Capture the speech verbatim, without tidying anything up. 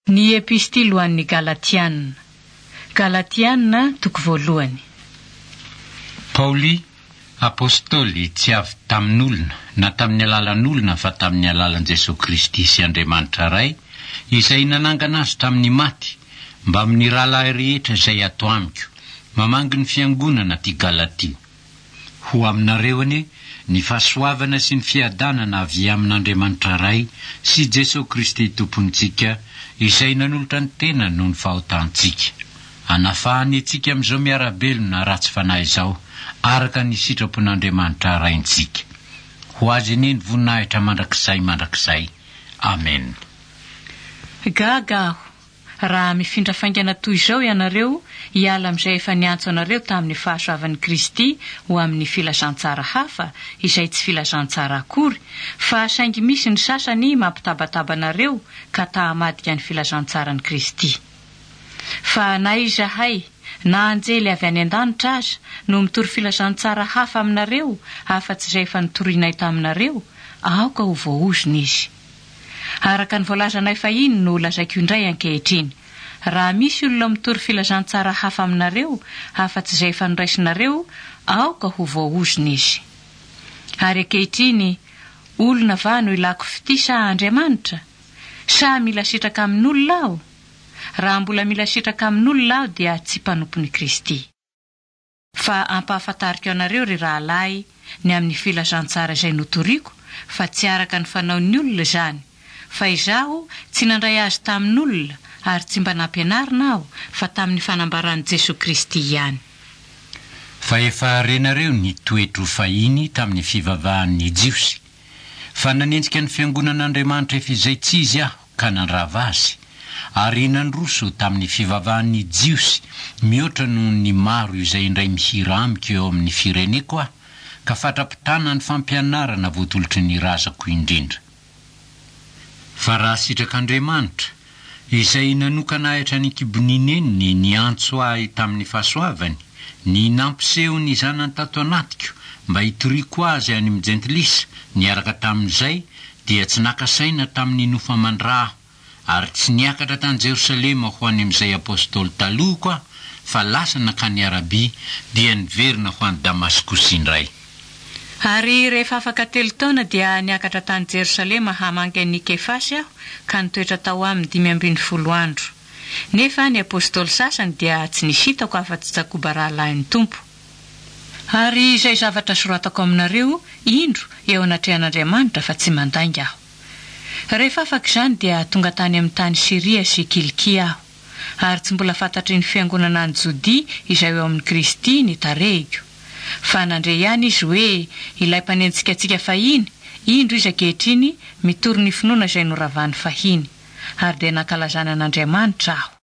Ny Epistily ho an'ny Galatiana. Galatiana, toko voalohany. Paoly, apostoly tsy avy tamin'olona na tamin'ny alalan'olona fa tamin'ny alalan'i Jesoa Kristy sy Andriamanitra Ray, izay nanangana azy tamin'ny maty, mbamin'ny rahalahy rehetra izay ato amiko, mamangy ny fiangonana aty Galatia. Ho aminareo anie ny fahasoavana sy ny fiadanana avy amin'Andriamanitra Ray sy Jesoa Kristy Tompontsika, izay nanolotra ny tenany noho ny fahotantsika, hanafahany antsika amin'izao miara-belona ratsy fanahy izao, araka ny sitrapon'Andriamanitra Raintsika. Ho Azy anie ny voninahitra mandrakizay mandrakizay. Amena. Gaga aho raha mifindra faingana toy izao ianareo hiala amin'izay efa niantso anareo tamin'ny fahasoavan'i Kristy ho amin'ny filazantsara hafa izay tsy filazantsara akory, fa saingy misy ny sasany mampitabataba anareo ka ta-hamadika ny filazantsaran'i Kristy. Fa na izahay na anjely avy any an-danitra aza no mitory filazantsara hafa aminareo afa-tsy izay efa notorinay taminareo, aoka ho voaozona izy. Araka ny voalazanay fahiny no lazaiko indray ankehitriny, raha misy olona mitory filazantsara hafa aminareo afa-tsy izay efa noraisinareo, aoka ho voaozona izy. Ary ankehitriny, olona va no ilako fitia sa Andriamanitra? Sa mila sitraka amin'olona aho? Raha mbola mila sitraka amin'olona aho dia tsy mpanompon'i Kristy. Fa ampahafantariko anareo, ry rahalahy, ny amin'ny filazantsara izay notoriko, fa tsy araka ny fanaon'ny olona izany, fa izaho tsy nandray azy tamin'olona ary tsy mba nampianarina aho, fa tamin'ny fanambaran'i Jesoa Kristy ihany. Fa efa renareo ny toetro fahiny tamin'ny fivavahan'ny Jiosy, fa nanenjika ny fiangonan'Andriamanitra efa izay tsy izy aho ka nandrava azy, ary nandroso tamin'ny fivavahan'ny Jiosy mihoatra noho ny maro izay indray mihira amiko eo amin'ny fireneko aho, ka fatra-pitana ny fampianarana voatolotry ny razako indrindra. Fa raha sitrak'Andriamanitra, izay nanokana ahy hatrany an-kibon'ny neniny niantso ahy tamin'ny fahasoavany, ny nampiseho ny zanany tato anatiko mba hitoriako azy any amin'ny jentilisa niaraka tamin'izay, dia tsy naka saina tamin'ny nofo aman-dra aho, ary tsy niakatra tany Jerosalema ho any amin'izay apostoly talohako aho, fa lasa nankany Arabia, dia niverina ho any Damaskosy indray. Ary rehefa afaka telo taona dia niakatra tany Jerosalema hamangy an'i Kefasy aho, ka nitoetra tao aminy dimy ambin'ny folo andro. Nefa ny apostoly sasany dia tsy nisy hitako afa-tsy Jakoba rahalahin'ny Tompo. Ary izay zavatra soratako aminareo, indro, eo anatrehan'Andriamanitra fa tsy mandainga aho. Rehefa afaka izany dia tonga tany amin'ny tany Syria sy Kilikia aho. Ary tsy mbola fantatry ny fiangonana any Jodia izay eo amin'i Kristy ny tarehiko. Fa nandre ihany izy hoe ilay mpanenjika antsika fahiny, indro izy ankehitriny mitory ny finoana izay noravany fahiny. Ary dia nankalazana an'Andriamanitra aho.